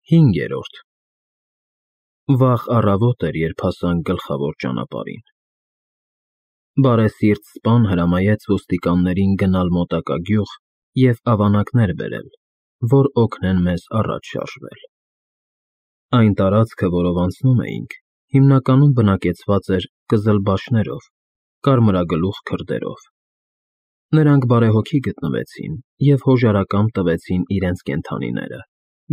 5-րդ Վաղ առավոտ էր, երբ հասանք գլխավոր ճանապարհին։ Բարեսիրտ սպան հրամայեց ոստիկաններին գնալ մոտակա գյուղ և ավանակներ բերել, որ օգնեն մեզ առաջ շարժվել։ Այն տարածքը, որով անցնում էինք, հիմնականում բնակեցված էր կզլբաշներով, կարմրագլուխ քրդերով։ Նրանք բարեհոգի գտնվեցին և հոժարակամ տվեցին իրենց կենդանիները,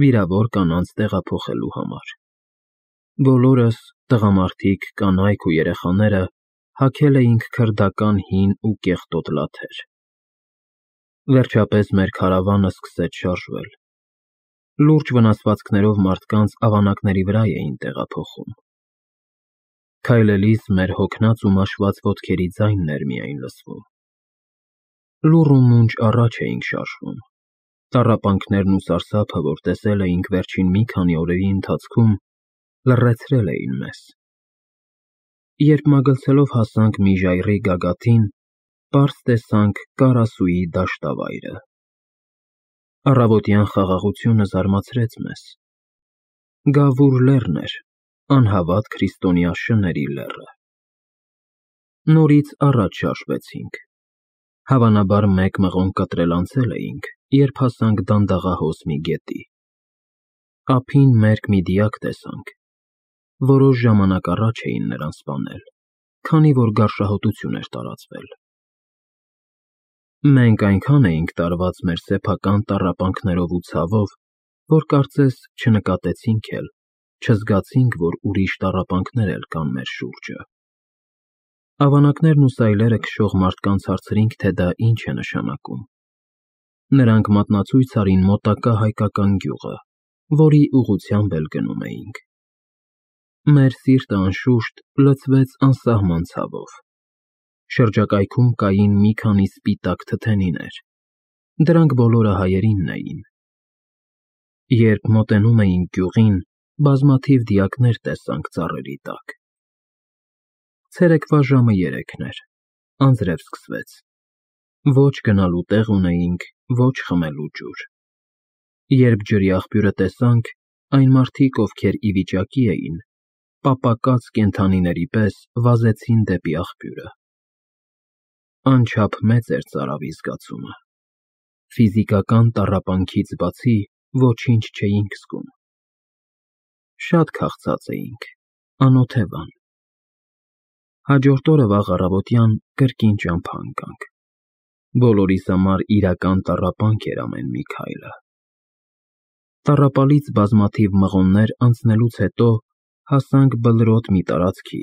վիրավոր կանանց տեղափոխելու համար։ Բոլորս, տղամարդիկ, կանայք ու երեխաները, հագել էինք քրդական հին ու կեղտոտ լաթեր։ Վերջապես մեր քարավանը սկսեց շարժվել։ Լուրջ վնասվածքներով մարդկանց ավանակների վրա էին տեղափոխում։ Քայլելիս մեր հոգնած ու մաշված ոտքերի ձայնն էր միայն լսվում։ Լուռ ու մունջ առաջ էինք շարժվում։ Տառապանքներն ու սարսափը, որ տեսել էինք վերջին մի քանի օրերի ընթացքում, լռեցրել էին մեզ։ Երբ մագլցելով հասանք մի ժայռի գագաթին, պարզ տեսանք Կարասուի դաշտավայրը։ Առավոտյան խաղաղությունը զարմացրեց մեզ։ Գավուր լեռն էր, անհավատ քրիստոնյա շների լեռը։ Նորից առաջ շարժվեցինք։ Հավանաբար մեկ մղոն կտրել անցել էինք, երբ հասանք դանդաղահոս մի գետի։ Ափին մերկ մի դիակ տեսանք։ Որոշ ժամանակ առաջ էին նրան սպանել, քանի որ գարշահոտություն էր տարածվել։ Մենք այնքան էինք տարված մեր սեփական տառապանքներով ու ցավով, որ կարծես չնկատեցինք էլ, չզգացինք, որ ուրիշ տառապանքներ էլ կան մեր շուրջը։ Ավանակներն ու սայլերը քշող մարդկանց հարցրինք, թե դա ինչ է նշանակում։ Նրանք մատնացույց արին մոտակա հայկական գյուղը, որի ուղղությամբ էլ գնում էինք։ Մեր սիրտը անշուշտ լցվեց անսահման ցավով։ Շրջակայքում կային մի քանի սպիտակ թթենիներ։ Դրանք բոլորը հայերինն էին։ Երբ մոտենում էինք գյուղին, բազմաթիվ դիակներ տեսանք ծառերի տակ։ Ցերեկվա ժամը 3-ն էր, անձրև սկսվեց։ Ոչ գնալու տեղ ունեինք, ոչ խմելու ջուր։ Երբ ջրի աղբյուրը տեսանք, այն մարդիկ, ովքեր ի վիճակի էին, պապակած կենդանիների պես վազեցին դեպի աղբյուրը։ Անչափ մեծ էր ծարավի զգացումը։ Ֆիզիկական տառապանքից բացի ոչինչ չէինք զգում։ Շատ քաղցած էինք, անօթևան։ Հաջորդ օրը վաղ առավոտյան կրկին ճամփա ընկանք։ Բոլորիս համար իրական տառապանք էր ամեն մի քայլը։ Տառապալից բազմաթիվ մղոններ անցնելուց հետո հասանք բլրոտ մի տարածքի,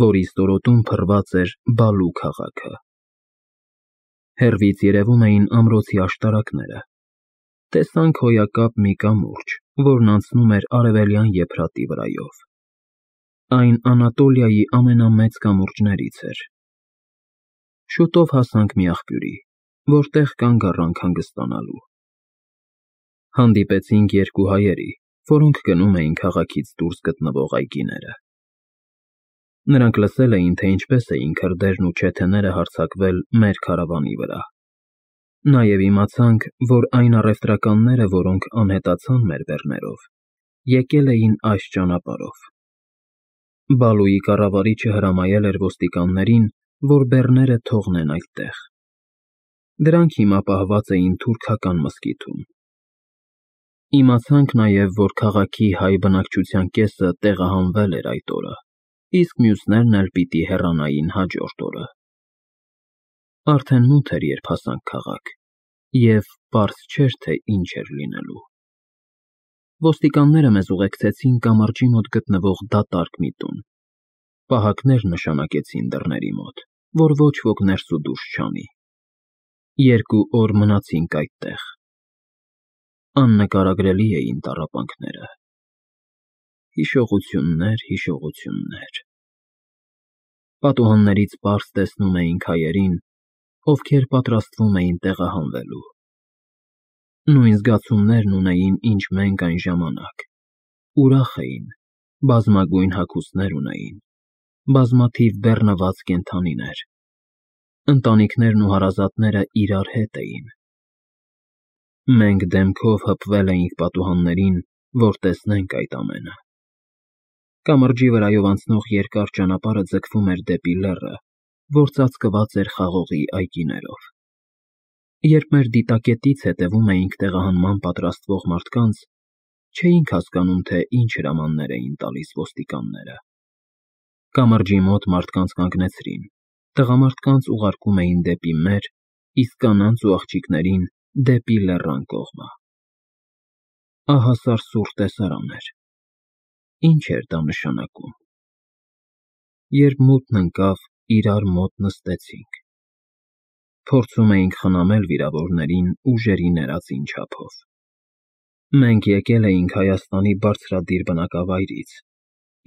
որի ստորոտում փռված էր Բալու քաղաքը։ Հեռվից երևում էին ամրոցի աշտարակները։ Տեսանք հոյակապ մի կամուրջ, որն անցնում էր արևելյան եփրատի վրայով։ Այն Անատոլիայի ամենամեծ կամուրջներից էր։ Շուտով հասանք մի աղբյուրի, որտեղ կանգ առանք հանգստանալու։ Հանդիպեցինք երկու հայերի, որոնք գնում էին քաղաքից դուրս գտնվող այգիները։ Նրանք լսել էին, թե ինչպես էին քրդերն ու չեթեները հարձակվել մեր քարավանի վրա։ Նաև իմացանք, որ այն առևտրականները, որոնք անհետացան մեր բեռներով, եկել էին այս ճանապարհով։ Բալուի կառավարիչը հրամայել էր ոստիկաններին, որ բեռները թողնեն այդտեղ։ Դրանք հիմա պահված էին թուրքական մզկիթում։ Իմացանք նաև, որ քաղաքի հայ բնակչության կեսը տեղահանվել էր այդ օրը, իսկ մյուսներն էլ պիտի հեռանային հաջորդ օրը։ Արդեն մութ էր, երբ հասանք քաղաք, և պարզ չէր, թե ինչ էր լինելու։ Ոստիկանները մեզ ուղեկցեցին կամրջի մոտ գտնվող դատարկ մի տուն։ Պահակներ նշանակեցին դռների մոտ, որ ոչ ոք ներս ու դուրս չանի։ 2 օր մնացինք այդտեղ։ Աննկարագրելի էին տառապանքները։ Հիշողություններ, հիշողություններ։ Պատուհաններից պարզ տեսնում էինք հայերին, ովքեր պատրաստվում էին տեղահանվելու։ Նույն զգացումներն ունեին, ինչ մենք այն ժամանակ։ Ուրախ էին, բազմագույն հագուստներ ունեին, բազմաթիվ բեռնված կենդանիներ։ Ընտանիքներն ու հարազատները իրար հետ էին։ Մենք դեմքով հպվել էինք պատուհաններին, որ տեսնենք այդ ամենը։ Կամրջի վրայով անցնող երկար ճանապարհը ձգվում էր դեպի լեռը, որ ծածկված էր խաղողի այգիներով։ Երբ մեր դիտակետից հետևում էինք տեղահանման պատրաստվող մարդկանց, չէինք հասկանում, թե ինչ հրամաններ էին տալիս ոստիկանները։ Կամրջի մոտ մարդկանց կանգնեցրին, տղամարդկանց ուղարկում էին դեպի մեր, իսկ կանանց ու աղջիկներին դեպի լեռան կողմը։ Ահասարսուռ տեսարան էր։ Ինչ էր դա նշանակում։ Երբ մութն ընկավ, իրար մոտ նստեցինք։ Փորձում էինք խնամել վիրավորներին ուժերի ներածին չափով։ Մենք եկել էինք Հայաստանի բարձրադիր բնակավայրից,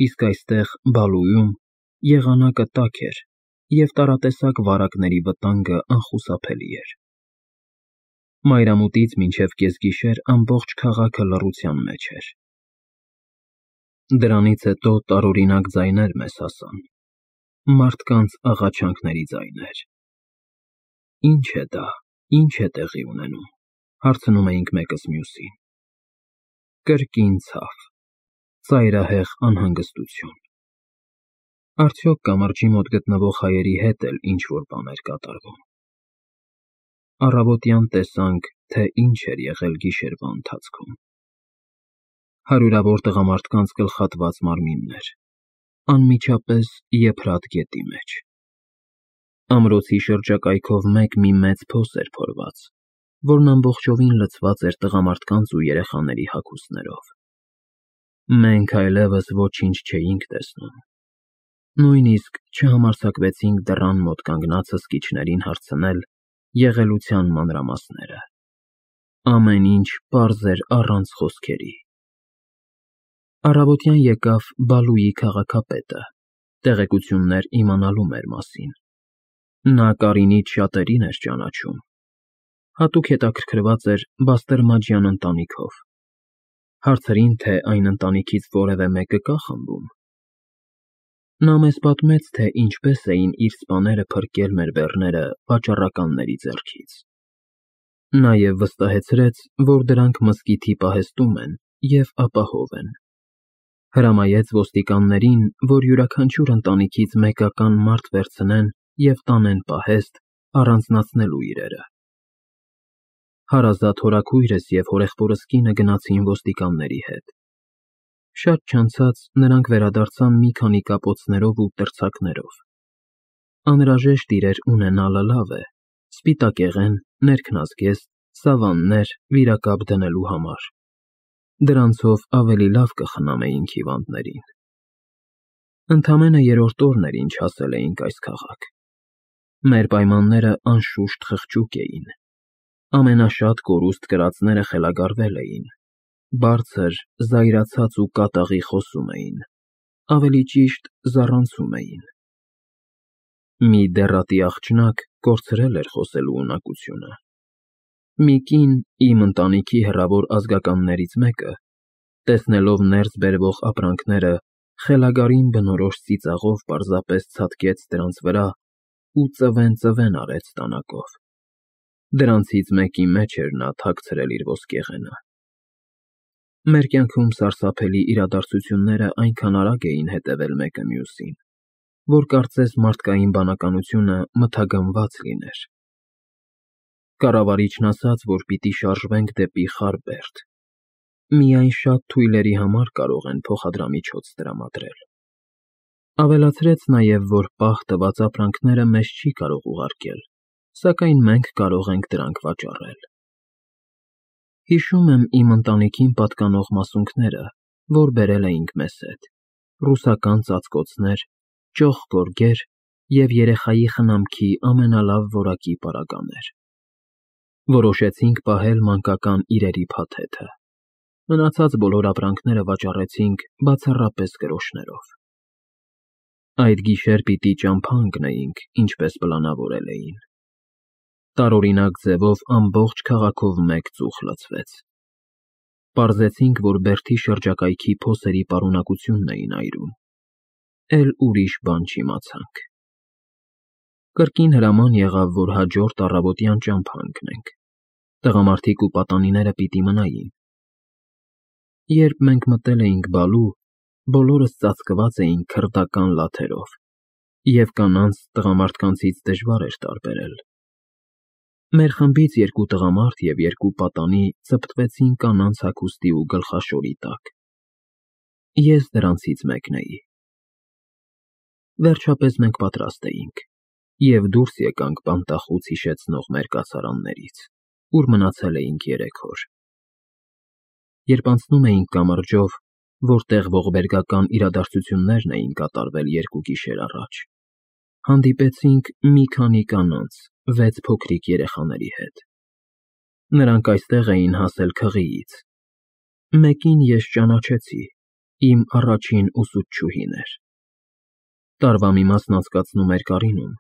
իսկ այստեղ Բալույում եղանակը տաք էր, և տարատեսակ վարակների վտանգը անխուսափելի էր։ Մայրամուտից մինչև կեսգիշեր ամբողջ քաղաքը լռության մեջ էր։ Դրանից հետո տարօրինակ ձայներ մեզ հասան, մարդկանց աղաչանքների ձայներ։ Ինչ է դա, ինչ է տեղի ունենում, հարցնում էինք մեկս մյուսին։ Կրկին ցավ, ծայրահեղ անհանգստություն։ Արդյոք կամրջի մոտ գտնվող հայերի հետ էլ ինչ-որ բան էր կատարվում։ Առավոտյան տեսանք, թե ինչ էր եղել գիշերվա ընթացքում։ Հարյուրավոր տղամարդկանց գլխատված մարմիններ, անմիջապես եփրատ գետի մեջ։ Ամրոցի շրջակայքով մի մեծ փոս էր փորված, որն ամբողջովին լցված էր տղամարդկանց ու երեխաների հագուստներով։ Մենք այլևս ոչինչ չէինք տեսնում։ Նույնիսկ չհամարձակվեցինք դռան մոտ կանգնած հսկիչներին հարցնել եղելության մանրամասները։ Ամեն ինչ պարզ էր առանց խոսքերի։ Առավոտյան եկավ Բալույի քաղաքապետը, տեղեկություններ իմանալու մեր մասին։ Նա Կարինից շատերին էր ճանաչում։ Հատուկ հետաքրքրված էր Բաստերմաջյան ընտանիքով։ Հարցրին, թե այն ընտանիքից որևէ մեկը կա խմբում։ Նա մեզ պատմեց, թե ինչպես էին իր սպաները փրկել մեր բեռները վաճառականների ձեռքից։ Նաև վստահեցրեց, որ դրանք մզկիթի պահեստում են և ապահով են։ Հրամայեց ոստիկաններին, որ յուրաքանչյուր ընտանիքից մեկական մարդ վերցնեն և տանեն պահեստ, առանձնացնելու իրերը։ Հարազատ հորաքույրս և հորեղբորս կինը գնացին ոստիկանների հետ։ Շատ չանցած նրանք վերադարձան մի քանի կապոցներով ու տրցակներով։ Անհրաժեշտ իրեր ունենալը լավ է, սպիտակեղեն, ներքնազգեստ, սավաններ վիրակապ դնելու համար։ Դրանցով ավելի լավ կխնամեինք հիվանդներին։ Ընդամենը երրորդ օրն էր, ինչ հասել էինք այս քաղաք։ Մեր պայմանները անշուշտ խղճուկ էին։ Ամենաշատ կորուստ կրածները խելագարվել էին, բարձր, զայրացած ու կատաղի խոսում էին, ավելի ճիշտ զառանցում էին։ Մի դեռատի աղջնակ կորցրել էր խոսելու ունակությունը։ Մի կին, իմ ընտանիքի հեռավոր ազգականներից մեկը, տեսնելով ներս բերվող ապրանքները, խելագարին բնորոշ ծիծաղով պարզապես ցատկեց դրանց վրա ու ծվեն արեց տանակով։ Դրանցից մեկի մեջ էր նա թաքցրել իր ոսկեղենը։ Մեր կյանքում սարսափելի իրադարձությունները այնքան արագ էին հետևել մեկը մյուսին, որ կարծես մարդկային բանականությունը մթագնված լիներ։ Կառավարիչն ասաց, որ պիտի շարժվենք դեպի Խարբերդ։ Միայն շատ թույլերի համար կարող են փոխադրամիջոց տրամադրել։ Ավելացրեց նաև, որ պահ տված ապրանքները մեզ չի կարող ուղարկել, սակայն մենք կարող ենք դրանք վաճառել։ Հիշում եմ իմ ընտանիքին պատկանող մասունքները, որ բերել էինք մեզ հետ, ռուսական ծածկոցներ, ճոխ գորգեր և երեխայի խնամքի ամենալավ որակի պարագաներ։ Որոշեցինք պահել մանկական իրերի փաթեթը։ Մնացած բոլոր ապրանքները վաճառեցինք բացառապես գրոշներով։ Այդ գիշեր պիտի ճամփա ընկնեինք, ինչպես պլանավորել էին։ Տարօրինակ ձևով ամբողջ քաղաքով մեկ ծուխ լցվեց։ Պարզեցինք, որ Բերդի շրջակայքի փոսերի պարունակությունն էին այրում։ Էլ ուրիշ բան չիմացանք։ Կրկին հրաման եղավ, որ հաջորդ առավոտյան ճամփա ընկնենք։ Տղամարդիկ ու պատանիները պիտի մնային։ Երբ մենք մտել էինք բալու, բոլորս ծածկված էինք քրդական լաթերով, և կանանց տղամարդկանցից դժվար էր տարբերել։ Մեր խմբից 2 տղամարդ և 2 պատանի ծպտվեցին կանանց հագուստի ու գլխաշորի տակ։ Ես դրանցից մեկն էի։ Վերջապես մենք պատրաստ էինք և դուրս եկանք բանտախուց հիշեցնող մեր կացարաններից, ուր մնացել էինք 3 օր։ Երբ անցնում էինք կամրջով, որտեղ ողբերգական իրադարձություններն էին կատարվել 2 գիշեր առաջ, հանդիպեցինք մի քանի կանանց 6 փոքրիկ երեխաների հետ։ Նրանք այստեղ էին հասել քղիից։ Մեկին ես ճանաչեցի, իմ առաջին ուսուցչուհին էր։ Տարվա մի մասն անցկացնում էր Կարինում,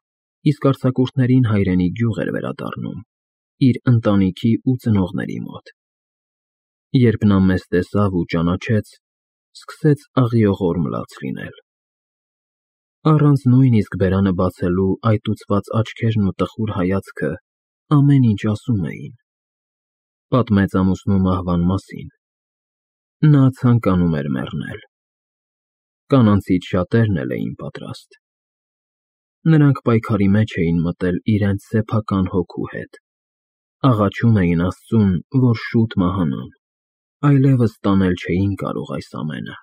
իսկ արձակուրդներին հայրենի գյուղ էր վերադառնում, իր ընտանիքի ու ծնողների մոտ։ Երբ նա մեզ տեսավ ու ճանաչեց, սկսեց աղիողորմ լաց լինել։ Առանց նույնիսկ բերանը բացելու այտուցված աչքերն ու տխուր հայացքը ամեն ինչ ասում էին։ Պատմեց ամուսնու մահվան մասին։ Նա ցանկանում էր մեռնել։ Կանանցից շատերն էլ էին պատրաստ։ Նրանք պայքարի մեջ էին մտել իրենց սեփական հոգու հետ։ Աղաչում էին Աստծուն, որ շուտ մահանան, այլևս տանել չէին կարող այս ամենը։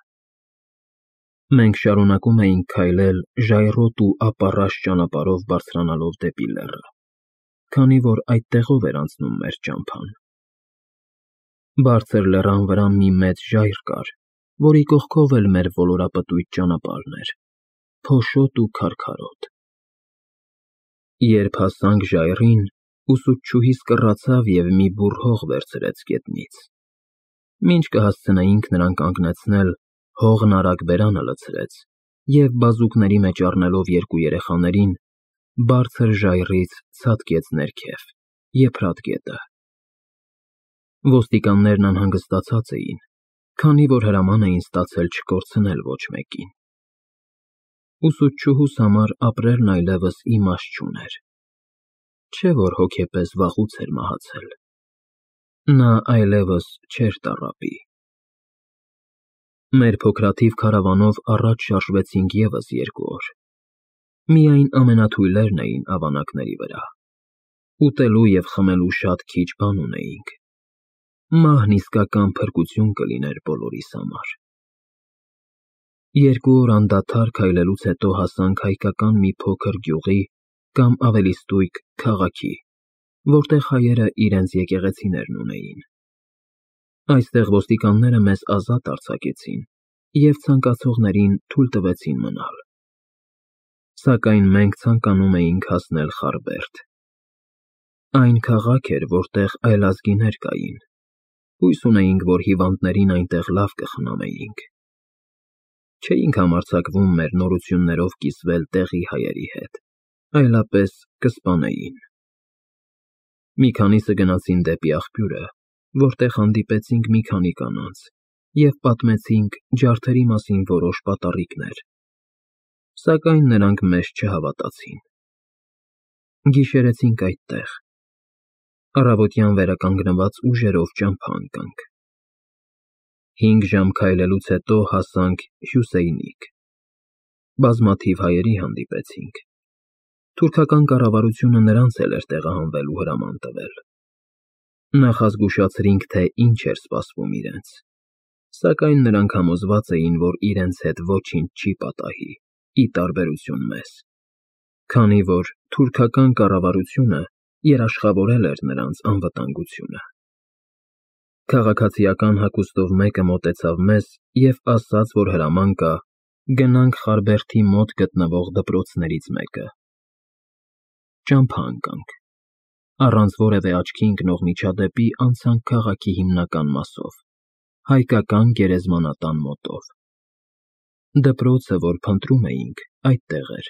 Մենք շարունակում էինք քայլել ժայռոտ ու ապառաշ ճանապարհով բարձրանալով դեպի լեռը, քանի որ այդտեղով էր անցնում մեր ճամփան։ Բարձր լեռան վրա մի մեծ ժայռ կար, որի կողքով էլ մեր ոլորապտույտ ճանապարհն էր, փոշոտ ու քարքարոտ։ Երբ հասանք ժայռին, ուսուցչուհիս կռացավ և մի բուռ հող վերցրեց գետնից։ Մինչ կհասցնեինք նրան կանգնեցնել, հողն արագ բերանը լցրեց և բազուկների մեջ առնելով 2 երեխաներին, բարձր ժայռից ցատկեց ներքև, եփրատ գետը։ Ոստիկաններն անհանգստացած էին, քանի որ հրաման էին ստացել չկորցնել ոչ մեկին։ Ուսուցչուհուս համար ապրելն այլևս իմաստ չուներ։ Չէ՞ որ հոգեպես վաղուց էր մահացել։ Նա այլևս չէր տառապի։ Մեր փոքրաթիվ քարավանով առաջ շարժվեցինք ևս 2 օր։ Միայն ամենաթույլերն էին ավանակների վրա։ Ուտելու և խմելու շատ քիչ բան ունեինք։ Մահն իսկական փրկություն կլիներ բոլորիս համար։ 2 օր անդադար քայլելուց հետո հասանք հայկական մի փոքր գյուղի կամ ավելի ստույգ քաղաքի, որտեղ հայերը իրենց եկեղեցիներն ունեին։ Այստեղ ոստիկանները մեզ ազատ արձակեցին և ցանկացողներին թույլ տվեցին մնալ։ Սակայն մենք ցանկանում էինք հասնել Խարբերդ։ Այն քաղաք էր, որտեղ այլազգիներ կային։ Հույս ունեինք, որ հիվանդներին այնտեղ լավ կխնամեինք։ Չէինք համարձակվում մեր նորություններով կիսվել տեղի հայերի հետ, այլապես կսպանեին։ Մի քանիսը գնացին դեպի աղբյուրը, որտեղ հանդիպեցինք մի քանի կանանց և պատմեցինք ջարդերի մասին որոշ պատառիկներ, սակայն նրանք մեզ չհավատացին։ Գիշերեցինք այդտեղ։ Առավոտյան վերականգնված ուժերով ճամփա ընկանք։ 5 ժամ քայլելուց հետո հասանք Հյուսեյնիկ։ Բազմաթիվ հայերի հանդիպեցինք։ Թուրքական կառավարությունը նրանց էլ էր տեղահանվելու հրաման տվել։ Նախազգուշացրինք, թե ինչ էր սպասվում իրենց, սակայն նրանք համոզված էին, որ իրենց հետ ոչինչ չի պատահի, ի տարբերություն մեզ, քանի որ թուրքական կառավարությունը երաշխավորել էր նրանց անվտանգությունը։ Քաղաքացիական հագուստով մեկը մոտեցավ մեզ և ասաց, որ հրաման կա գնանք Խարբերդի մոտ գտնվող դպրոցներից մեկը։ Ճամփա ընկանք։ Առանց որևէ աչքի ընկնող միջադեպի անցանք քաղաքի հիմնական մասով, հայկական գերեզմանատան մոտով։ Դպրոցը, որ փնտրում էինք, այդտեղ էր։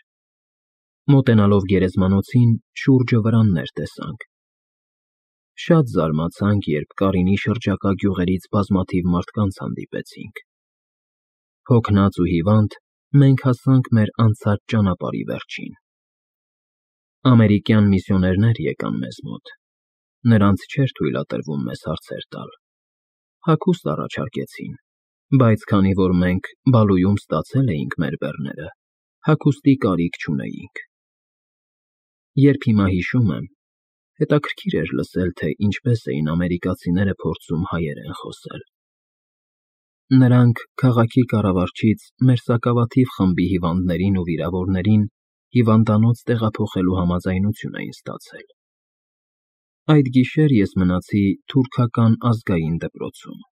Մոտենալով գերեզմանոցին, շուրջը վրաններ տեսանք։ Շատ զարմացանք, երբ Կարինի շրջակա գյուղերից բազմաթիվ մարդկանց հանդիպեցինք։ Հոգնած ու հիվանդ, մենք հասանք մեր անցած ճանապարհի վերջին։ Ամերիկյան միսիոներներ եկան մեզ մոտ։ Նրանց չէր թույլատրվում մեզ հարցեր տալ։ Հագուստ առաջարկեցին, Բայց քանի որ մենք Բալույում ստացել էինք մեր բեռները, հագուստի կարիք չունեինք։ Երբ հիմա հիշում եմ, հետաքրքիր էր լսել, թե ինչպես էին ամերիկացիները փորձում հայերեն խոսել։ Նրանք քաղաքի կառավարչից մեր սակավաթիվ խմբի հիվանդներին ու վիրավորներին հիվանդանոց տեղափոխելու համաձայնություն էին ստացել։ Այդ գիշեր ես մնացի թուրքական ազգային դպրոցում։